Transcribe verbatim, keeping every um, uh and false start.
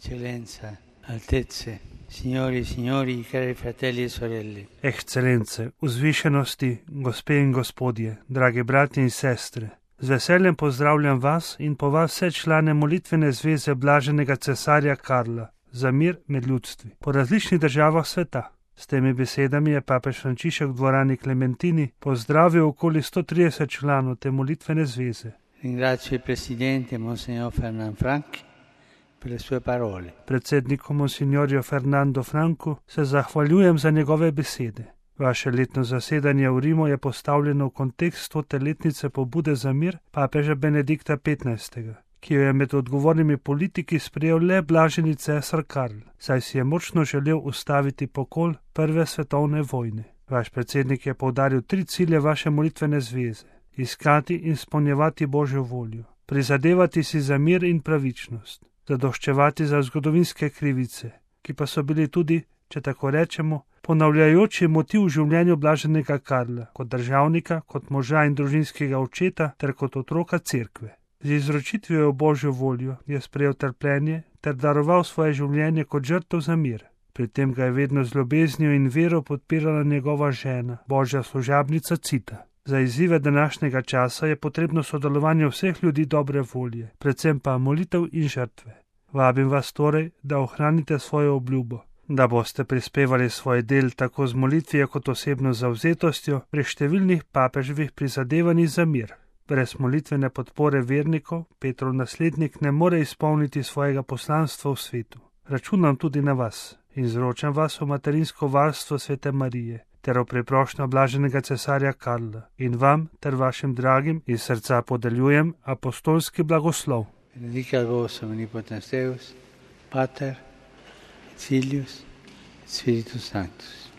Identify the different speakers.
Speaker 1: Eccellenza, altezze, signori e signori, cari fratelli e sorelle.
Speaker 2: Ekscelence, vzvišenosti, gospe in gospodje, dragi brati in sestre, z veseljem pozdravljam vas in po vas vse člane molitvene zveze blaženega cesarja Karla za mir med ljudstvi po različnih državah sveta. S temi besedami je papež Frančišek v dvorani Klementini pozdravil okoli sto trideset članov te molitvene zveze.
Speaker 1: Ringrazio il presidente Monsignor Fernand Frank per le sue parole.
Speaker 2: Predsedniku Monsignorju Fernando Franku se zahvaljujem za njegove besede. Vaše letno zasedanje v Rimu je postavljeno v kontekst stote letnice pobude za mir papeža Benedikta petnajstega, ki jo je med odgovornimi politiki sprejel le blaženi cesar Karl, saj si je močno želel ustaviti pokol prve svetovne vojne. Vaš predsednik je poudaril tri cilje vaše molitvene zveze: iskati in izpolnjevati Božjo voljo, prizadevati si za mir in pravičnost, zadoščevati za zgodovinske krivice, ki pa so bili tudi, če tako rečemo, ponavljajoči motiv v življenju blaženega Karla, kot državnika, kot moža in družinskega očeta ter kot otroka cerkve. Z izročitvijo v Božjo voljo je sprejel trpljenje ter daroval svoje življenje kot žrtev za mir. Pri tem ga je vedno z ljubeznijo in vero podpirala njegova žena, Božja služabnica Cita. Za izzive današnjega časa je potrebno sodelovanje vseh ljudi dobre volje, predvsem pa molitev in žrtve. Vabim vas torej, da ohranite svojo obljubo, da boste prispevali svoj del tako z molitvijo kot osebno zavzetostjo pri številnih papeževih prizadevanjih za mir. Brez molitvene podpore vernikov Petrov naslednik ne more izpolniti svojega poslanstva v svetu. Računam tudi na vas in izročam vas v materinsko varstvo Svete Marije ter v priprošnjo blaženega cesarja Karla in vam ter vašim dragim iz srca podeljujem apostolski blagoslov.
Speaker 1: Benedicat vos omnipotens Deus, Pater, et Filius, et Spiritus Sanctus.